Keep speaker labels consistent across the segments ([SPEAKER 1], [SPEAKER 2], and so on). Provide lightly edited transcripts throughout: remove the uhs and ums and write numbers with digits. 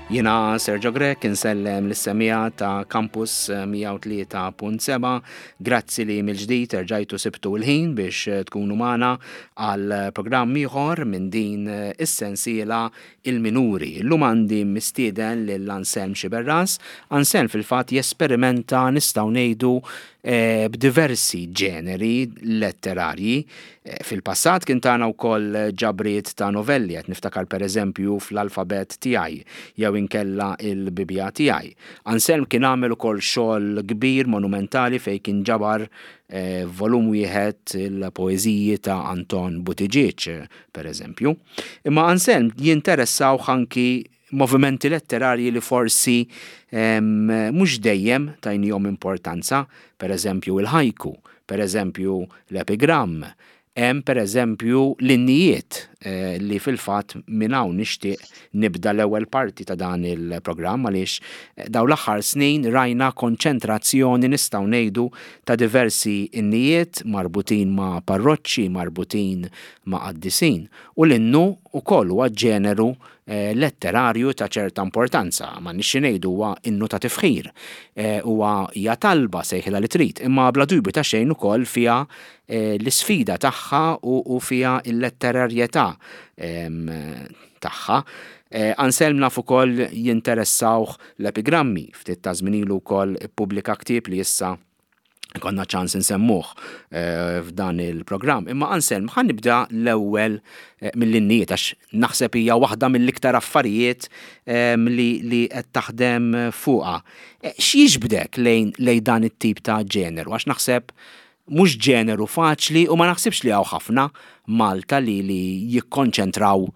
[SPEAKER 1] Jiena Sergio Grech insellem lis-semmiegħa ta' Campus 103.7. Grazzi li mill-ġdid erġajtu sibtu l-ħin biex tkunu magħna għal programm ieħor minn din is-sensiela Il-Minuri. Illum għandi mistieden lil Anselm Sciberras. Anselm fil-fatt jesperimenta nistgħu ngħidu b'diversi ġeneri letterarji. Fil-passat kien tana wkoll ġabriet ta' novelli, qed niftakar pereżempju fl-Alfabett Tiegħi jew inkella Il-Bibbja Tiegħi. Anselm kien għamel ukoll xogħol kbir monumentali fejn kien ġabar f'volum wieħed il-poeżiji ta' Anton Buttigieg, pereżempju. Imma Anselm jinteressawh anki movimenti letterarji li forsi mhux dejjem tajnihom importanza, pereżempju il-ħajku, pereżempju l-epigramm, hemm pereżempju l-innijiet eh, li fil-fatt minn hawn nixtieq nibda l-ewwel parti ta' dan il-programm għaliex eh, dawn l-aħħar snin rajna konċentrazzjoni nistgħu ngħidu ta' diversi innijiet marbutin ma' parroċċi, marbutin ma' qaddisin u l-innu wkoll huwa ġeneru letterarju ta' ċerta importanza, m'għandniex xi ngħidu huwa innu ta' tifħir, huwa hija talba sejħilha li trid, imma bla dubju ta' xejn ukoll fiha l-isfida tagħha u fiha l-letterarjetà tagħha. Anselm naf ukoll jinteressawh l-epigrammi, ftit ta' żmien ilu wkoll ippubblika ktieb li issa konna ċans nsemmuh eh, f'dan il-programm. Imma Anselm, ħan nibda l-ewwel eh, mill-innijiet għax naħseb hija waħda mill-iktar affarijiet ehm, li, li qed taħdem fuqha. Eh, x'jiġbdek lejn lejn dan it-tip ta' ġeneru? Għax naħseb mhux ġeneru faċli u ma naħsibx li hawn ħafna Malta li li jikkonċentraw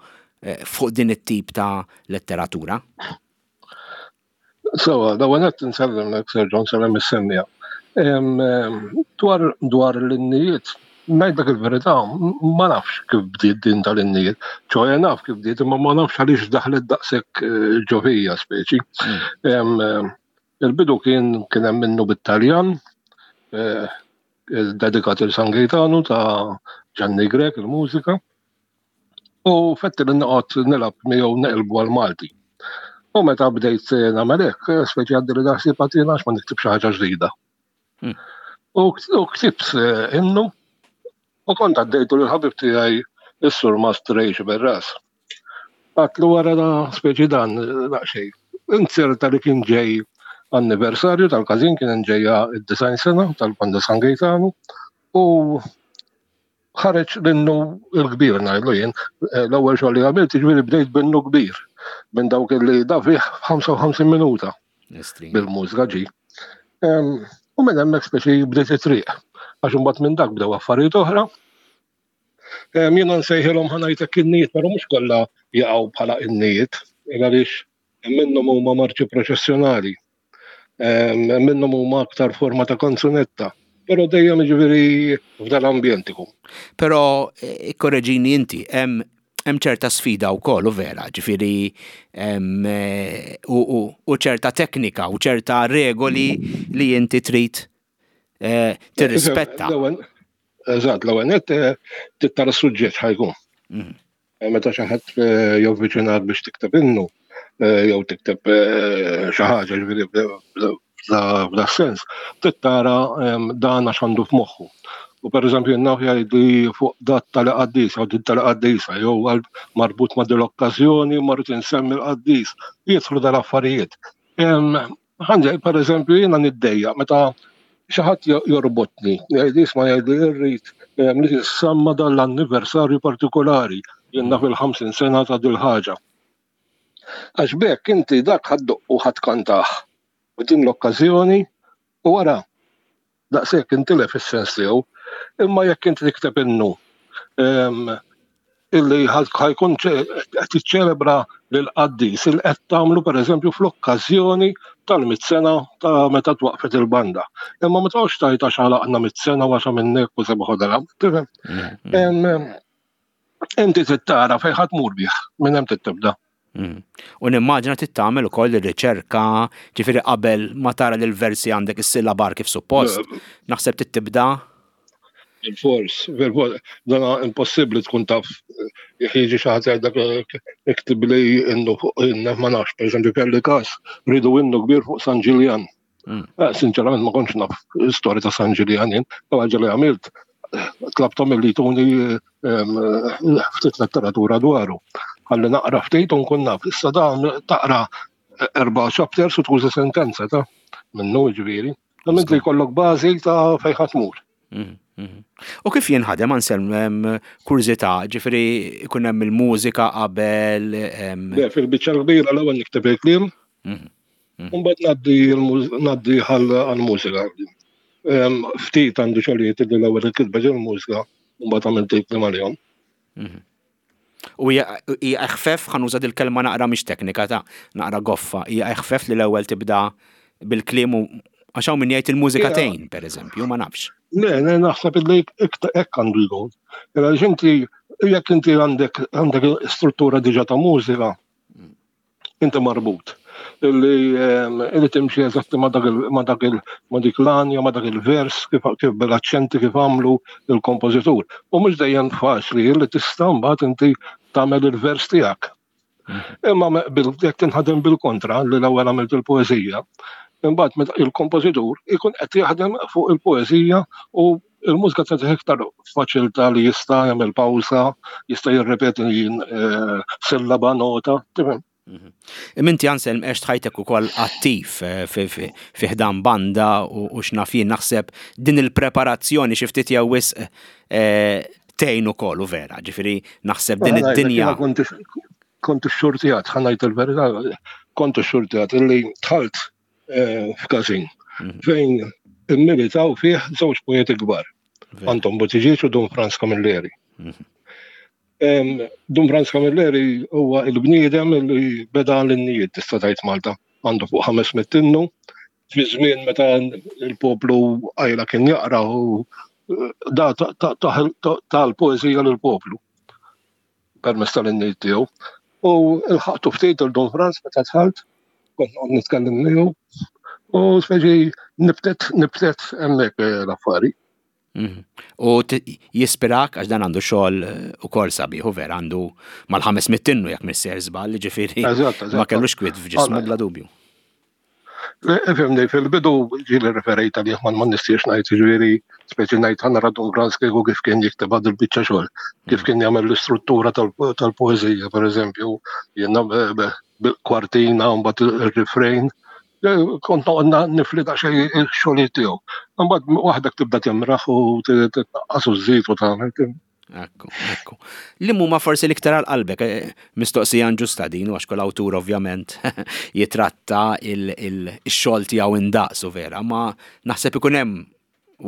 [SPEAKER 1] fuq din it-tip ta' letteratura.
[SPEAKER 2] Sewa, l-ewwel nett insellem Sergio, nsellem is-semmija. Dwar dwar l-innijiet, ngħidlek il-verità, ma nafx kif bdiet din tal-innijiet. ċoħe naf kif bdiet, imma ma nafx għaliex daħlet daqshekk eh, ġo fija speċi. Mm. Il-bidu kien kien hemm minnu bit-Taljan, eh, dedikat il San Gaetano ta' Gianni Grek il-mużika. U fetti li noqgħod nilgħab miegħu neqilbu għal Malti. U meta bdejt nagħmel hekk, speċi għaddi li daħsib għatina għax ma niktib xi ħaġa ġdida. Hmm. U ktibt eh, innu u kont għaddejtu lil ħabib tiegħi is-sur Master Berras. Għatlu wara da speċi dan daqsxejn. Inzerta li kien ġej anniversarju tal-każin kien ġejja id-design sena tal-Banda San Gaetano u ħareġ l-innu l-kbir ngħidlu jien, eh, l-ewwel xogħol li għamilt jiġifieri bdejt b'innu kbir minn dawk li da fih 55 minuta bil-mużika ġi. U minn hemmhekk speċi bdiet it-triq. Għax imbagħad minn dak bdew affarijiet oħra. Jiena nsejħilhom ħanajtek innijiet, però mhux kollha jaqgħu bħala innijiet, għaliex minnhom huma marċi proċessjonali. Minnhom huma aktar forma ta' kanzunetta. Però dejjem jiġifieri f'dan l-ambjent ikun.
[SPEAKER 1] Però eh, ikkoreġini inti, hemm hemm ċerta sfida wkoll u vera, ġifieri eh, u ċerta teknika u ċerta regoli li inti trid eh, tirrispetta.
[SPEAKER 2] Eżatt, l-ewwel nett tittara s-suġġett ħajkun. Mhm. Eh, meta xi ħadd eh, jovviċinak biex tikteb innu eh, jew tikteb xi ħaġa ġifieri f'da sens, trid tara ehm, dan għax għandu f'moħħu. U per eżempju naf jgħidli fuq dat tal-qaddis, jew din tal-qaddisa, jew marbut ma' dil-okkażjoni, marrit insemmi l-qaddis, jidħlu dal-affarijiet. Ehm, Ħanġa, per eżempju, jiena niddejja meta xi ħadd jorbotni, jgħid isma' jgħidli irrid eh, li tissemma dan l-anniversarju partikolari, jien naf il-50 sena ta' dil-ħaġa. Għax bekk inti dak ħaddoq u ħadd kantah. U din l-okkażjoni u wara daqshekk intilef is-sens tiegħu. Imma jekk inti tikteb innu ehm, illi ħajkun qed tiċċelebra lil qaddis il qed tagħmlu pereżempju fl-okkażjoni tal-mit sena ta' meta twaqfet il-banda. Imma ma tgħodx tajt għax għalaqna mit sena u għax minnek u seba' ħodra. Tifhem? Mm, mm. Inti trid tara fejn ħadd mur bih, minn hemm trid tibda.
[SPEAKER 1] Mm. U nimmaġina trid tagħmel ukoll ir-riċerka, ġifieri qabel ma tara li l-versi għandek is-sillabar kif suppost. Naħseb trid tibda.
[SPEAKER 2] Bil-fors, bil-fors, dana impossibbli tkun taf jekk jiġi xi ħadd jgħidlek iktib li innu fuq inna ma nafx, pereżempju kelli każ ridu innu kbir fuq San Ġiljan. Mm. Eh, sinċerament ma kontx naf istorja ta' San Ġiljan jien, ħaġa li għamilt tlabtom li tuni ehm, ftit letteratura dwaru. Ħalli naqra ftit u nkun naf. Issa dan taqra erba' chapters u tuża sentenza ta' minnu ġifieri. Imma li jkollok bażi ta' fejn ħadd tmur.
[SPEAKER 1] Mhm, mhm. U kif jinħadem Anselm kurżità, ġifieri ikun hemm il-mużika qabel?
[SPEAKER 2] Le, fil-biċċa kbira l-ewwel nikteb il-kliem, mhm, mbagħad ngħaddi ngħaddi għall-mużika. Ftit għandu xogħlijiet li l-ewwel il-kitba ġil-mużika, mbagħad għamilt il-kliem għalihom.
[SPEAKER 1] U hija eħfef, ħa nuża dil-kelma naqra mhix teknika ta' naqra goffa, hija eħfef li l-ewwel tibda bil-kliem u għax hawn min jgħid il-mużika tgħin, pereżempju, ma nafx.
[SPEAKER 2] Le, le, naħseb li hekk għandu jkun. Għaliex inti jekk inti għandek għandek struttura diġà ta' mużika, inti marbut illi ehm, illi timxi eżatti ma dak ma dak ma dik l-anja, ma dak il-vers, kif kif bil-aċċenti kif għamlu il-kompożitur. U mhux dejjem faċli illi tista' mbagħad inti tagħmel il-vers tiegħek. Mm. Imma jekk tinħadem bil-kontra li l-ewwel għamilt il-poeżija, imbagħad meta il-kompożitur ikun qed jaħdem fuq il-poeżija u il-mużika tagħtih iktar faċilità li jista' jagħmel pawsa, jista' jirrepeti eh, sillaba nota, tifhem.
[SPEAKER 1] Mhm. Imma inti Anselm għext ħajtek ukoll attiv eh, fi ħdan banda u x'naf jien naħseb din il-preparazzjoni xi ftit jew wisq eh, tgħin ukoll u vera, ġifieri naħseb din id-dinja.
[SPEAKER 2] Kont xurtijat, ħanajt il-verità, kont xurtijat illi tħalt eh, f'każin mhm. fejn immilitaw fih żewġ poeti kbar. Anton Buttigieg u Dun Franz Camilleri. Mhm. Dun Franz Camilleri huwa il-bniedem li beda l-innijiet tista' tgħid Malta. Għandu fuq 500 innu fi żmien meta il-poplu għajla kien jaqra u eh, da tal-poeżija lill-poplu. permezz tal-innijiet tiegħu. U l-ħaqtu ftit il-Don Franz meta dħalt, kont noqgħod nitkellem miegħu u speċi nibtet nibtet hemmhekk eh, l-affari.
[SPEAKER 1] Mhm. U jispirak għax dan għandu xogħol eh, ukoll sabiħ u vera għandu mal-500 innu jekk misser żball, ġifieri ma kellux kwiet f'ġismu bla dubju.
[SPEAKER 2] Ifhimni, fil-bidu ġieli referejt għalih ma ma nistiex ngħid, ġifieri speċi ngħid ħa nara Dun Franz kieku kif kien jikteb għad il-biċċa xogħol, kif kien jagħmel l-istruttura tal-poeżija, pereżempju, jiena bil-kwartina u mbagħad ir-refrain. Kont noqgħod nifli daqsxejn ix-xogħlijiet tiegħu. Imbagħad waħdek tibda timraħ u titnaqqas u żżid u tagħmel.
[SPEAKER 1] Ekku, ekku. Li huma forsi l-iktar għal qalbek, eh, mistoqsija ġusta din, għax kull awtur ovvjament jitratta il-xogħol tiegħu indaqs u vera, ma naħseb ikun hemm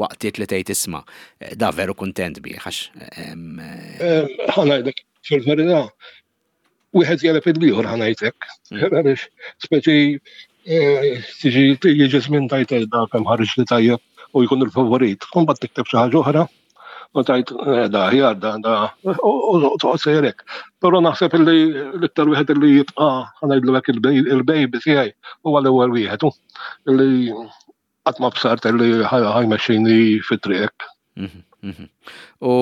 [SPEAKER 1] waqtiet li tgħid isma' eh, da veru kuntent bih għax.
[SPEAKER 2] Eh, Ħa ngħidlek, fil-verità, wieħed jeleb il-ieħor ħa ngħidlek. Mm. Għaliex speċi eh, tiġi jiġi żmien tajt eh, da kemm ħareġ li tajjeb u jkun il-favorit. Mbagħad tikteb xi ħaġa oħra u tajt eh, da ħjar da da u toqgħod sejrek. Però naħseb li l-iktar wieħed li jibqa' ħa ngħidlu hekk il-baby tiegħi huwa l-ewwel wieħed li qatt ma bsart li ħajmexxini fit-triq.
[SPEAKER 1] Mhm, mhm. U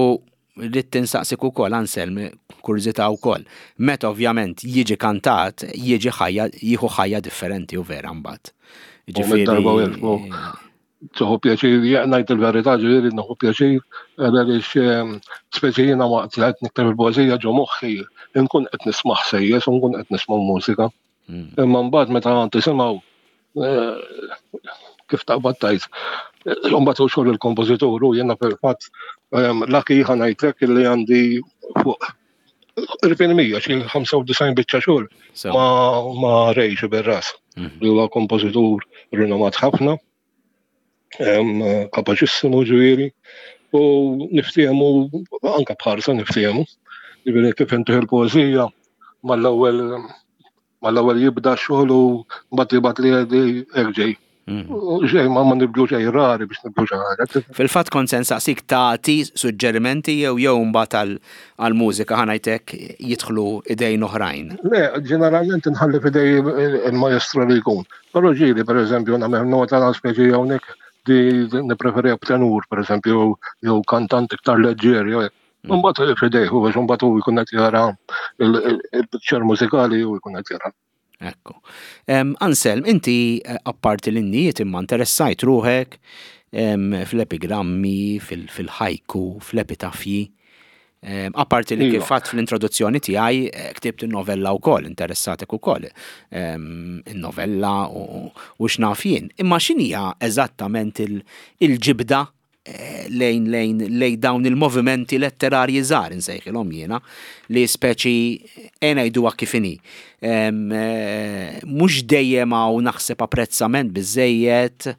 [SPEAKER 1] rrid tinsaqsik ukoll Anselm, kurżità wkoll. Meta ovvjament jiġi kantat, jiġi ħajja, jieħu ħajja differenti u vera mbagħad.
[SPEAKER 2] Ġifieri. Darba Tieħu pjaċir, ngħid il-verità ġifieri nieħu pjaċir għaliex ehm, speċi jiena waqt li qed nikteb il-poeżija ġo moħħi nkun qed nisma' ħsejjes u nkun qed nisma' mużika. Mm. Imma mbagħad meta tisimgħu eh, kif taqbad tajt. Eh, mbagħad u xogħol il-kompożitur u jiena fil-fatt ehm, laki ħa ngħidlek li għandi fuq Ripin mija, xi 95 biċċa xogħol ma ma rejx bir-ras. Mhm. Li huwa kompożitur rinomat ħafna, kapaċissimu ġifieri, u niftehmu anka bħarsa niftehmu. Ġifieri kif intuħ il-poeżija mal-ewwel mal-ewwel jibda xogħol u mbagħad jibgħat li hekk ġej. Mm. Xejn ma ma nibdlu xejn rari biex nibdlu xi ħaġa.
[SPEAKER 1] Fil-fatt kont se nsaqsik tagħti suġġerimenti jew jew mbagħad għall-mużika ħa ngħidlek jidħlu idejn oħrajn.
[SPEAKER 2] Le, ġeneralment inħalli f'idej il-maestro li jkun. Però ġieli pereżempju nagħmel nota speċi hawnhekk. di nippreferiha b'tenur, pereżempju, jew kantant iktar leġġier, jew hekk. Mm. Mbagħad f'idejh u għax mbagħad hu jkun qed jara il-picture mużikali u jkun qed jara.
[SPEAKER 1] Ekku. Anselm, inti eh, apparti l-innijiet imma interessajt ruħek fl-epigrammi, fil-ħajku, fl-epitafji. Apparti li kif fatt fl-introduzzjoni tiegħi eh, ktibt in-novella wkoll, interessatek ukoll in-novella u x'naf jien. Imma x'inhija eżattament il-ġibda eh, lejn lejn lejn dawn il-movimenti letterarji żgħar insejħilhom jiena li speċi e ngħiduha kif inhi. Eh, mhux dejjem hawn naħseb apprezzament biżejjed,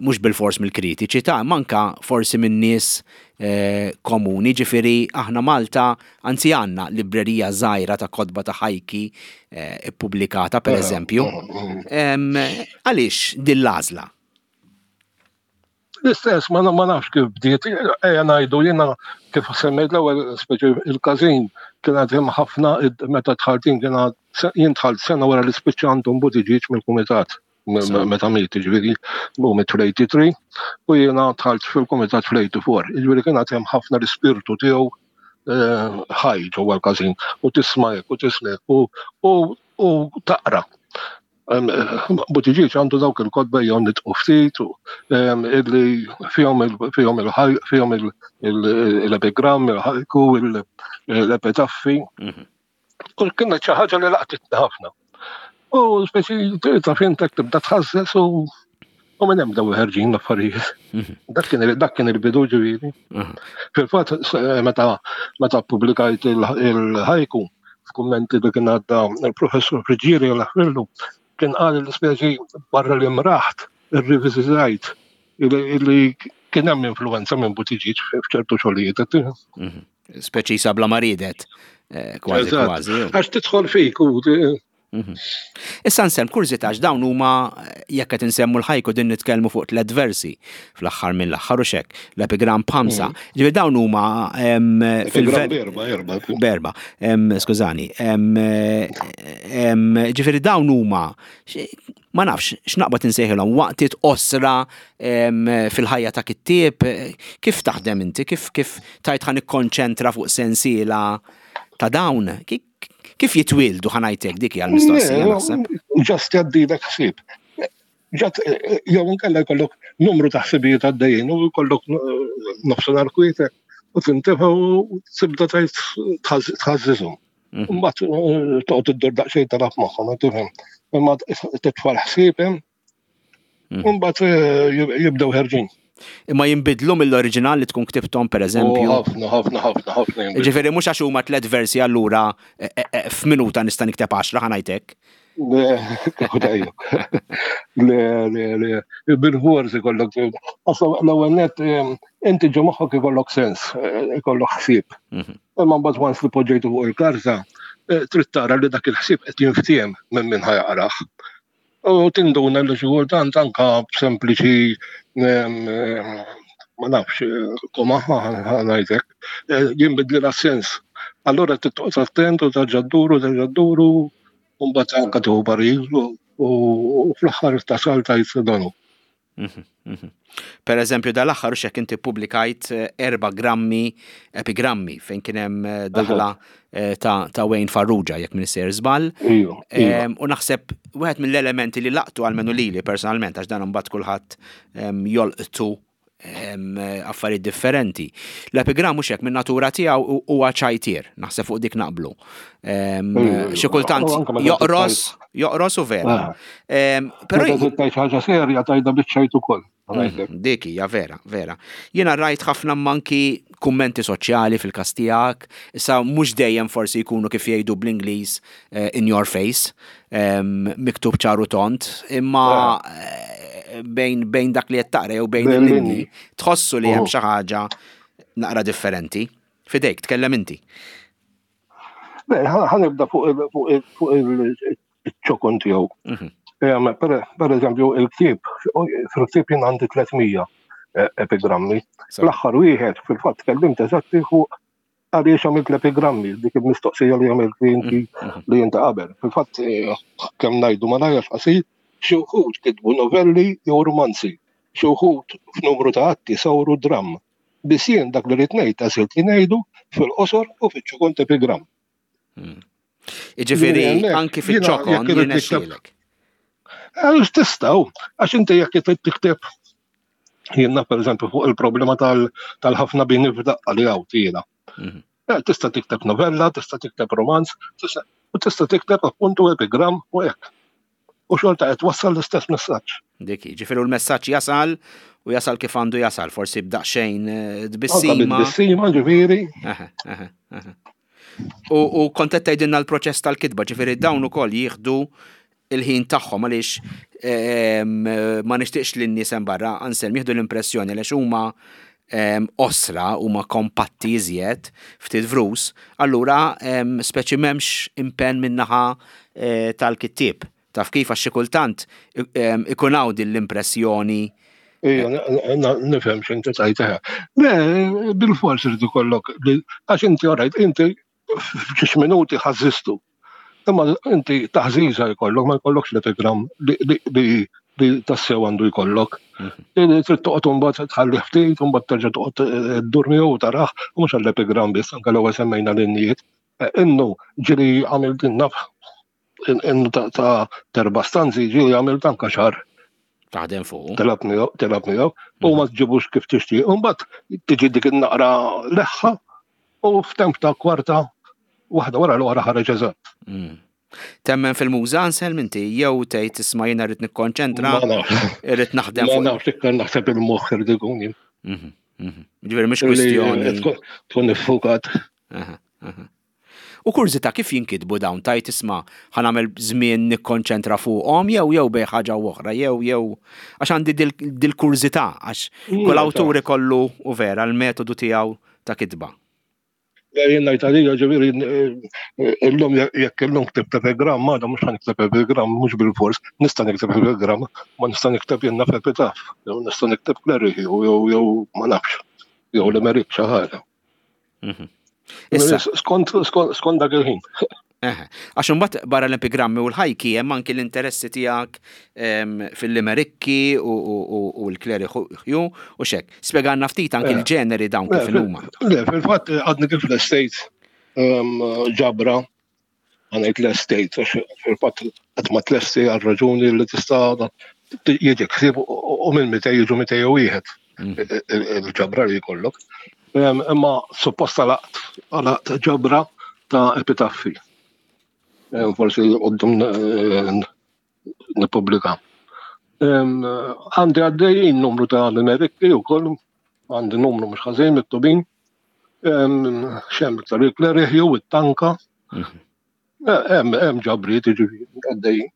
[SPEAKER 1] mhux bilfors mill-kritiċi ta' manka forsi minn nies eh, komuni, ġifieri aħna Malta anzi għandna librerija żgħira ta' kotba ta' ħajki eh, ippubblikata pereżempju. Għaliex din l-għażla?
[SPEAKER 2] L-istess, ma nafx kif bdiet, ejja ngħidu jiena kif semmejt l-ewwel speċi il-każin kien għad hemm ħafna meta dħalt jien kien jien dħalt sena wara li spiċċa Anton Buttigieg mill-kumitat meta miet, jiġifieri hu miet fl-83 u jiena dħalt fil-kumitat fl-84. Jiġifieri kien għad hemm ħafna l-ispirtu tiegħu eh, ħaj ġewwa l-każin u tisma' hekk u tisma' u u taqra. Buttigieg għandu dawk il-kotba jew nitqu ftit illi fihom fihom fihom l-epigramm, il-ħajku, l-epitaffi. Mhm. U kienet xi ħaġa li laqtitni ħafna. U speċi ta' fintek tibda tħassess u u minn hemm daw ħerġin l-affarijiet. Mhm. Dak kien dak kien il-bidu ġifieri. Mhm. Fil-fatt meta meta ppubblikajt il-ħajku, f'kummenti li kien għadda il-professur Friġġieri l kien qal li speċi barra li mraħt irriviżitajt li kien hemm influenza minn Buttigieg f'ċertu xogħlijiet.
[SPEAKER 1] Mhm. Speċi sabla ma ridet. Eh, kważi kważi.
[SPEAKER 2] Għax tidħol fik u
[SPEAKER 1] Mhm. Issa nsem kurżità għax dawn huma jekk qed insemmu l-ħajku din nitkellmu fuq tliet versi fl-aħħar mill-aħħar u xek, l-epigram b'ħamsa. Mhm. Ġifieri dawn huma
[SPEAKER 2] fil Berba, erba.
[SPEAKER 1] Berba, skużani. Ġifieri dawn huma ma nafx x'naqbad insejħilhom waqtiet qosra fil-ħajja ta' kittieb, kif taħdem inti, kif kif tajt ħa nikkonċentra fuq sensiela ta' dawn, Kif jitwieldu ħa ngħid hekk dik hija l-mistoqsija naħseb.
[SPEAKER 2] Ġast jgħaddilek ħsieb. Ġat jew inkella jkollok numru ta' ħsibijiet għaddejjin u jkollok nofsinhar kwietek u tintefa' u tibda tgħid tħażżiżhom. Mhm. Mbagħad eh, toqgħod iddur daqsxejn talab magħhom, tifhem. Imma titfa' l-ħsieb hemm mhm. u mbagħad eh, jibdew ħerġin.
[SPEAKER 1] Imma jinbidlu mill-oriġinal li tkun ktibthom pereżempju.
[SPEAKER 2] Oh, ħafna, ħafna, ħafna, ħafna.
[SPEAKER 1] Ġifieri mhux għax huma tliet versi allura eh, eh, eh, f'minuta nista' nikteb għaxra ħa ngħidlek.
[SPEAKER 2] Le, le, le, le, bil-forsi kollok. Għasla l-ewwel net inti ġo moħħok ikollok sens, ikollok ħsieb. Mhm. Imma mbagħad once li poġġejtu fuq il-karta, trid tara li dak il-ħsieb qed jinftiehem minn min ħajaqrah. U tinduna li xi kultant anka b'sempliċi ma nafx, koma ngħidlek, eh, jinbidli sens. Allura tittoqgħod attent u tarġa' dduru, tarġa' dduru, u mbagħad anka tieħu parir u fl-aħħar tasal tajt donu.
[SPEAKER 1] Mhm, mhm. Per eżempju, dal-aħħar xek inti publikajt eh, erba grammi epigrammi fejn kien hemm eh, daħla eh, ta', ta Wayne Farrugia jekk minn sejr żball. U naħseb wieħed mill-elementi li laqtu għalmenu lili personalment għax dan imbagħad kulħadd jolqtu affarijiet differenti. L-epigram mhux hekk min-natura tiegħu huwa ċajtier, naħseb fuq dik naqblu. Xi kultant joqros, joqros u vera.
[SPEAKER 2] Ah. Però tgħid ħaġa serja tajda biċ-ċajt ukoll.
[SPEAKER 1] Mhm, dik hija vera, vera. Jiena rajt ħafna manki kummenti soċjali fil-każ tiegħek, issa mhux dejjem forsi jkunu kif jgħidu bl-Ingliż eh, in your face, miktub ċaru tont, imma eh, bejn, bejn dak li qed taqra jew bejn il-linji tħossu li hemm oh. xi ħaġa naqra differenti. Fidejk, tkellem inti.
[SPEAKER 2] Ħanibda fuq il-ċokon tiegħu. Mhm. Per eżempju, il-ktieb, fil-ktieb jien għandi 300 eh, epigrammi. L-aħħar wieħed fil-fatt tkellimt eżatti fuq għaliex għamilt l-epigrammi, dik il-mistoqsija li għamilt li inti mhm. li inti qabel. Fil-fatt, eh, kemm ngħidu ma ngħajjax qasir, xi wħud kitbu novelli jew romanzi. Xi wħud f'numru ta' atti sawru dramm. Biss jien dak li rrid ngħid għażilt li ngħidu fil-qosor u fiċ-ċokon t'epigramm.
[SPEAKER 1] Hmm. Jiġifieri anki fiċ-ċokon jirnexxielek.
[SPEAKER 2] Għaliex tistgħu, għax inti jekk trid tikteb jiena pereżempju fuq il-problema tal-ħafna bini f'daqqa li hawn jiena. Mhm. Eh, tista' tikteb novella, tista' tikteb romanz, u tista' tikteb appuntu epigram u hekk. U xorta qed wassal l-istess messaġġ.
[SPEAKER 1] Dik, ġifieri l-messaġġ jasal u jasal kif għandu jasal, forsi b'daqsxejn eh, tbissima.
[SPEAKER 2] Tbissima, ġifieri.
[SPEAKER 1] U kont qed tgħidilna l-proċess tal-kitba, ġifieri dawn ukoll jieħdu il-ħin tagħhom għaliex ehm, ma nixtieqx li n-nies hemm barra Anselm jieħdu l-impressjoni għaliex huma ehm, osra huma kompatti iżjed ftit vrus, allura ehm, speċi m'hemmx impenn min-naħa eh, tal-kittieb. Taf kif għax xi kultant ikun hawn din l-impressjoni.
[SPEAKER 2] Ija, nifhem x'inti tajt. Le, bil-fors irid ikollok, għax inti orajt, inti f'xi minuti ħażistu. Imma inti taħżiża jkollok, ma jkollokx l-epigram li tassew għandu jkollok. Mhm. Trid toqgħod imbagħad tħalli ftit, imbagħad terġa' toqgħod eh, ddur miegħu taraħ, u mhux għall-epigram biss, anke l-ewwel semmejna l-innijiet. Eh, innu ġili għamilt naf innu ta' terba stanzi ġili għamilt anke xahar.
[SPEAKER 1] Taħdem fuq.
[SPEAKER 2] Telab miegħu, telab miegħu, u ma tġibux kif tixtieq. Imbagħad tiġi dik in-naqra leħħa u f'temp ta' kwarta waħda wara l-oħra ħareġ eżatt. Mm.
[SPEAKER 1] Temmen fil-muża Anselm inti jew tgħid isma' jiena rrid nikkonċentra, irrid naħdem
[SPEAKER 2] fuq. Ma nafx iktar naħseb il-moħħ irid ikun jien.
[SPEAKER 1] Mhm, mhm. Ġifieri mhix kwistjoni.
[SPEAKER 2] Tkun iffukat.
[SPEAKER 1] U kurżità kif jinkitbu dawn tgħid isma' ħa nagħmel żmien nikkonċentra fuqhom jew jew bejn ħaġa u oħra jew jew għax għandi dil-kurżità għax kull awtur ikollu u vera l-metodu tiegħu ta' kitba.
[SPEAKER 2] Jien ngħid għalija ġifieri illum jekk illum ktibt epigram għada mhux ħa nikteb epigram mhux bilfors nista' nikteb epigram ma nista' nikteb jien naf epitaf jew nista' nikteb cleric jew jew ma nafx jew limerick xi ħaġa. Mhm. Issa skont skont dak il-ħin.
[SPEAKER 1] Għax imbagħad barra l-epigrammi u l-ħajki hemm anki l-interessi tiegħek fil-limerikki u l-kleriħju u xek. Spjegalna ftit anki l-ġeneri dawn kif huma.
[SPEAKER 2] Le, fil-fatt għadni kif l-estate ġabra għanajt l-estate, għax fil-fatt qatt ma tlesti għal raġuni li tista' jiġi ħsieb u minn mitej jiġu mitej u wieħed mm. il-ġabra li jkollok. Imma supposta laqt għalaqt ġabra ta' epitaffi. Forsi għoddum eh, nippubblika. Għandi għaddejjin numru ta' limerikki u koll, għandi numru mhux ħażin miktubin. Xem iktar il-klerih jew it-tanka. Mhm. Eh, hemm hemm ġabriet jiġifieri għaddejjin.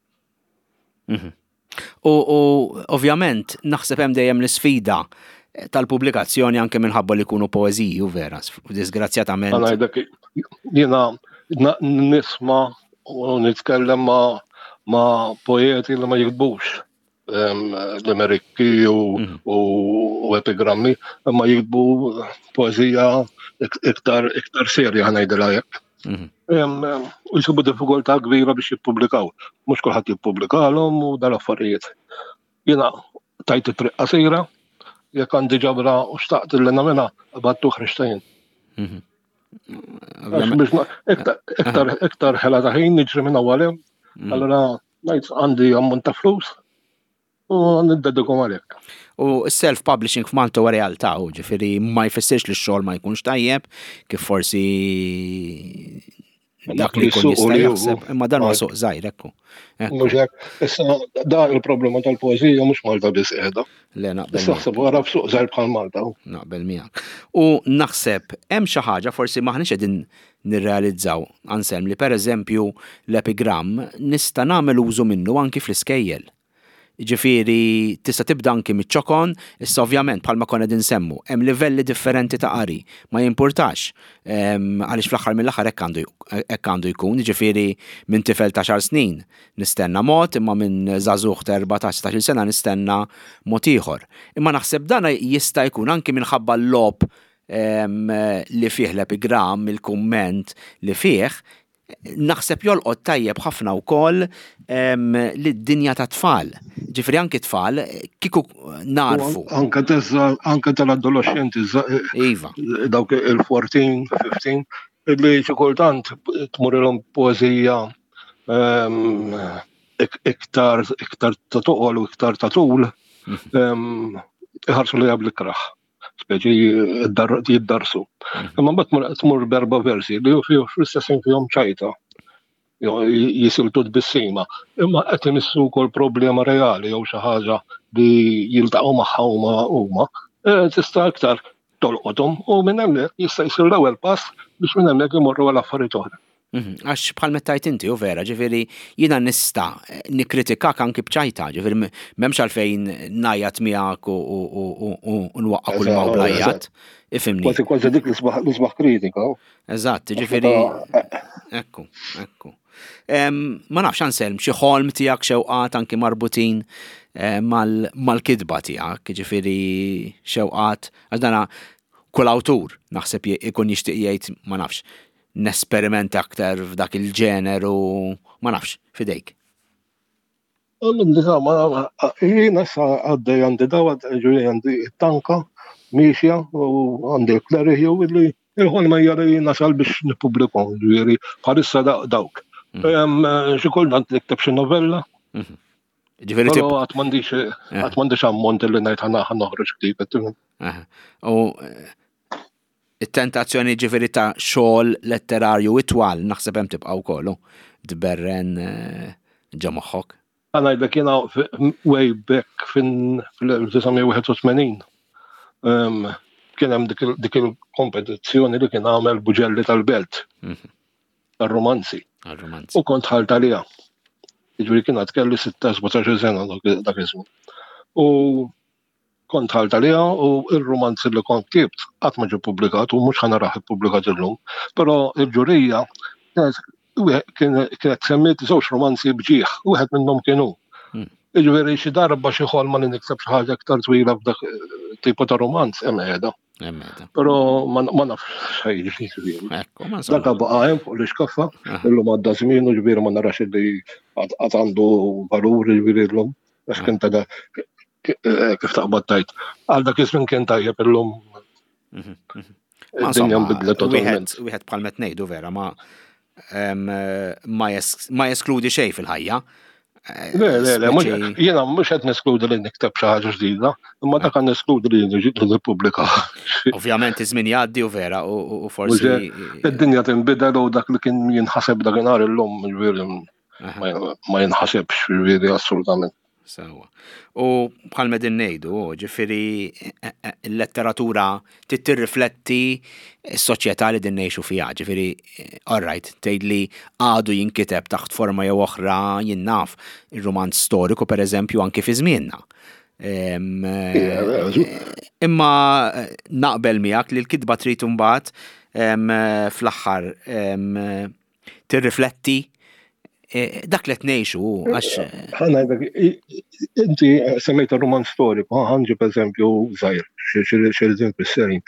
[SPEAKER 1] Mhm. U ovvjament naħseb hemm dejjem l-isfida tal-pubblikazzjoni anke minħabba li jkunu poeżiji u vera, disgrazzjatament.
[SPEAKER 2] Jiena nisma' u nitkellem ma' ma' poeti li ma jiktbux limerikki u, mm. u, u epigrammi, imma jiktbu poezija iktar iktar serja ħanajdilha hekk. Mm. U jsibu diffikultà kbira biex jippubblikaw. Mhux kulħadd jippubblikalhom u dal-affarijiet. Jiena tajt it-triq qasira, jekk għandi ġabra u xtaqt li nagħmilha, battu ħriġta jien. Mhm. Iktar iktar ħela ta' ħin niġri minn għalem, mm. allura ngħid għandi ammont ta' flus u niddedikom għalhekk.
[SPEAKER 1] U self-publishing f'Malta huwa realtà, u ġifieri ma jfissirx li x-xogħol ma jkunx tajjeb, kif forsi dak li jkun jista' jaħseb, imma dan huwa suq żgħir ekku.
[SPEAKER 2] Mhux hekk, issa dan il-problema tal-poeżija mhux Malta biss qiegħda.
[SPEAKER 1] Le naqbel.
[SPEAKER 2] Issa ħseb wara f'suq żgħir bħal Malta.
[SPEAKER 1] Naqbel miegħek. U naħseb hemm xi ħaġa forsi maħniex qegħdin nirrealizzaw Anselm li pereżempju l-epigramm nista' nagħmel użu minnu anki fl-iskejjel. Jiġifieri tista' tibda anki miċ-ċokon, issa ovvjament bħalma konna qegħdin nsemmu, hemm livelli differenti ta' qari, ma jimpurtax għaliex fl-aħħar mill-aħħar hekk għandu hekk għandu jkun, jiġifieri minn tifel ta' xar snin nistenna mod, imma minn żagħżugħ ta' 14, 16-il sena nistenna mod ieħor. Imma naħseb dan jista' jkun anki minħabba l-logħob li fih l-epigramm, il-kumment li fih, naħseb jolqot tajjeb ħafna wkoll lid-dinja ta' tfal. Ġifieri anki tfal kieku narfu.
[SPEAKER 2] Anke anke tal-adolescenti
[SPEAKER 1] Iva.
[SPEAKER 2] Dawk il-14, 15, illi xi kultant tmurilhom poeżija iktar iktar ta' toqol u iktar ta' tul, mhm. iħarsu li bl-ikraħ speċi jiddarsu. Mhm. Imma mbagħad tmur berba versi li fl-istess fihom ċajta jisiltu tbissima. Imma qed imissu wkoll problema reali jew xi ħaġa li jiltaqgħu magħha huma huma, e, tista' iktar tolqothom u minn hemmhekk jista' jsir l-ewwel pass biex minn hemmhekk imorru għal affarijiet oħra.
[SPEAKER 1] Mhm, għax bħal mettajt inti, u vera, ġifiri, jina nista eh, nikritikak anki bċajta, ġifiri, memx għalfejn najat miegħek u nwaqqa kull ma blajat. Ifimni.
[SPEAKER 2] Kważi kważi dik l-isbaħ kritika.
[SPEAKER 1] Eżatt, ġifiri. Ekku, ekku. Ma nafx Anselm, xi ħolm tiegħek xewqat anki marbutin eh, mal-kitba tiegħek, ġifiri xewqat, għax dana kull awtur naħseb ikun jixtieq jgħid ma nafx nesperimenta aktar f'dak il-ġeneru, ma nafx, fidejk.
[SPEAKER 2] Jiena issa għaddej għandi dawa, ġuri għandi tanka miexja u għandi l-kleriħju li il-ħolma hija li nasal biex nippubblikom, ġifieri bħalissa dawk. Mhm. Xi kultant nikteb xi novella. Mhm.
[SPEAKER 1] Ġifieri
[SPEAKER 2] tip. Għad m'għandix eh. għad m'għandix ammont li ngħid ħana noħroġ ktieb.
[SPEAKER 1] Eh. U eh, it-tentazzjoni ġifieri ta' xogħol letterarju itwal naħseb hemm tibqa' wkoll tberren eh, ġo moħħok.
[SPEAKER 2] Ngħidlek jiena way back fin-1981 ehm, kien hemm dik il-kompetizzjoni li kien għamel Buġelli tal-Belt. Mhm. Għar-romanzi. U kont ħalt għaliha. Jiġifieri kien għad kelli 16-17 sena dak iż-żmien. U Kont dħalt għaliha u r-rumanz li kont ktibt qatt ma ġie ppubblikat u mhux ħa narah ippubblikat illum. Però l-ġurija kienet semmiet żewġ romanzi b'ġieħ, wieħed minnhom kien hu. Hmm. Jiġifieri xi darba xi ħolma li nikseb xi ħaġa iktar twila f'dak eh, tipo ta' romanz hemm qiegħda. Però ma nafx xejn ġifieri. Dak baqa' hemm fuq l-iskaffa, illum għadda żmien u ġifieri ma narax li għad għandu valur ġifieri llum. Għax kien ta' eh, kif taqbad tajt. Għal dak iż-żmien kien tajjeb illum.
[SPEAKER 1] Mhm, mhm. Id-dinja nbidlet totalment. Wieħed bħal met ngħidu vera ma ma jeskludi xejn fil-ħajja.
[SPEAKER 2] Eh, le, le, le, jiena mhux qed neskludi li nikteb xi ħaġa ġdida, imma dak għan neskludi li nippubblika.
[SPEAKER 1] Ovvjament iż-żmien jgħaddi u vera u forsi.
[SPEAKER 2] Id-dinja tinbidel u dak li kien jinħaseb dakinhar illum ġifieri ma jinħasebx ġifieri assolutament.
[SPEAKER 1] Sewa. U bħal medin ngħidu, ġifieri eh, eh, l-letteratura tirrifletti s-soċjetà li din ngħixu fiha, ġifieri eh, all right, tgħid li għadu jinkiteb taħt forma jew oħra jien naf ir-rumanz storiku pereżempju anki fi żmienna. Imma naqbel miegħek li l-kitba trid imbagħad fl-aħħar tirrifletti eh, dak li qed ngħixu għax. Eh,
[SPEAKER 2] Ħa inti semmejt roman storiku, ħanġib eżempju żgħir, xi eżempju serin.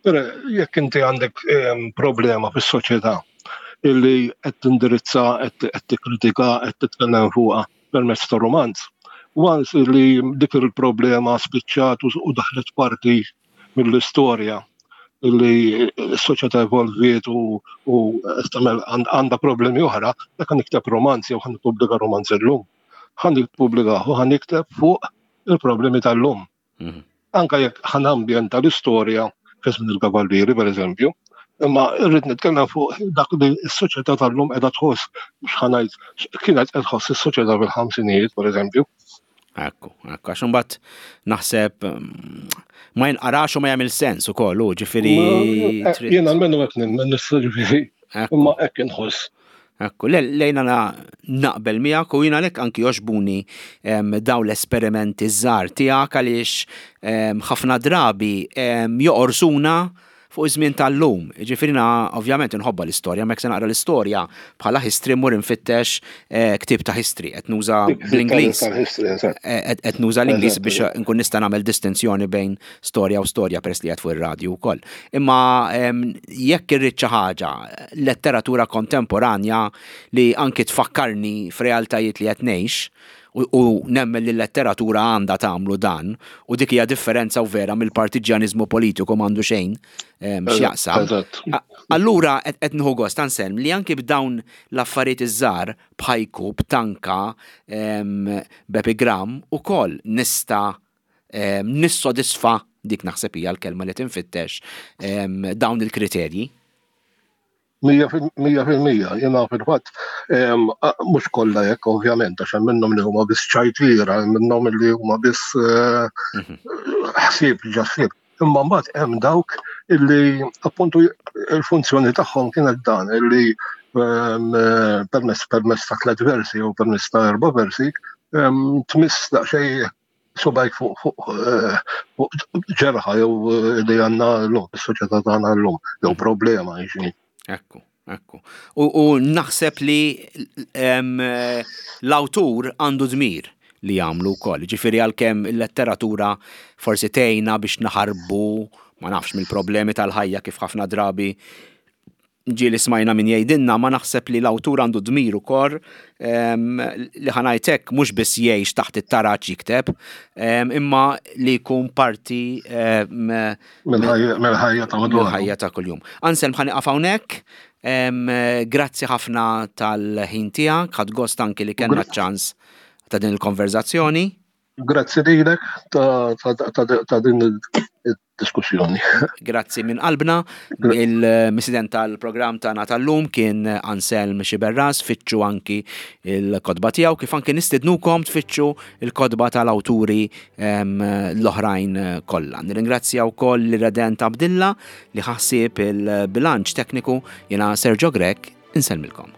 [SPEAKER 2] Però jekk inti għandek problema fis-soċjetà illi qed tindirizza, qed tikkritika, qed titkellem fuqha permezz ta' romanz, once li dik il-problema spiċċat u daħlet parti mill-istorja li s-soċjetà evolviet u għandha problemi oħra, dak ħan nikteb romanz jew ħan nippubblika romanz illum. Ħan nippubblika u ħan nikteb fuq il-problemi tal-lum. Mhm. Anka jekk ħan ambjenta l-istorja fi żmien il-kavallieri, per eżempju, imma rrid nitkellem fuq dak li s-soċjetà tal-lum qiegħda tħoss, mhux ħanajt kienet qed tħoss is-soċjetà fil-ħamsinijiet, per eżempju.
[SPEAKER 1] Ekku, ekku, għax imbagħad naħseb mm, ma jinqarax u ma jagħmel sens ukoll, u ġifieri.
[SPEAKER 2] Eh, jiena almenu qed nemmen issa ġifieri. Imma hekk inħoss.
[SPEAKER 1] Ekku, lejna naqbel miegħek u jiena lek anki joxbuni dawn l-esperimenti żgħar tiegħek għaliex ħafna drabi joqorsuna. fuq iż-żmien tal-lum. Jiġifieri jiena ovvjament inħobbha l-istorja, ma jekk se naqra l-istorja bħala history mmur infittex eh, ktieb ta' history qed nuża bl-Ingliż. Eh, qed nuża l-Ingliż biex nkun nista' nagħmel distinzjoni bejn storja u storja peress li qed fuq ir-radju wkoll. Imma jekk irrid xi ħaġa letteratura kontemporanja li anki tfakkarni f'realtajiet li qed ngħix, u nemmen li l-letteratura għandha tagħmlu dan, u dik hija differenza u vera mill-partiġjaniżmu politiku m'għandu xejn x'jaqsam. Allura qed nieħu gost Anselm li anki b'dawn l-affarijiet iż-żgħar b'ħajku, b'tanka, b'epigram ukoll nista' nissodisfa dik naħseb hija l-kelma li tinfittex dawn il-kriterji.
[SPEAKER 2] 100% jiena fil-fatt mhux kollha hekk ovvjament għax hemm minnhom li huma biss ċajtira, hemm minnhom li huma biss eh, mhm. ħsieb ġa ħsieb. Imma mbagħad hemm dawk illi appuntu il-funzjoni tagħhom kienet dan illi permess permess ta' tliet versi jew permess ta' erba' versi tmiss daqsxejn subajk fuq fuq eh, ġerħa jew eh, li għandna l-lum, is-soċjetà tagħna llum, jew problema jiġi.
[SPEAKER 1] Ekku, ekku. U naħseb li l-awtur għandu dmir li jagħmlu wkoll. Ġifieri għalkemm il-letteratura forsi tgħinna biex naħarbu ma nafx mill-problemi tal-ħajja kif ħafna drabi ġieli smajna min jgħidilna, ma naħseb li l-awtur għandu dmir ukoll li ħa ngħid hekk mhux biss jgħix taħt it-taraġ jikteb, imma li jkun parti
[SPEAKER 2] mill-ħajja ta'
[SPEAKER 1] mill-ħajja ta' kuljum. Anselm ħa nieqaf hawnhekk. Grazzi ħafna tal-ħin tiegħek, ħadt gost anki li kellna ċ-ċans ta' din il-konverzazzjoni.
[SPEAKER 2] Grazzi lilek ta' din id-diskussjoni.
[SPEAKER 1] Grazzi minn qalbna. Il-misident tal-programm tagħna tal-lum kien Anselm Xiberras, fittxu anki il-kotba tiegħu kif anki nistidnukom tfittxu il-kotba tal-awturi l-oħrajn kollha. Nirringrazzja wkoll l-Redent Abdilla li ħassieb il-bilanċ tekniku jiena Sergio Grech insellmilkom.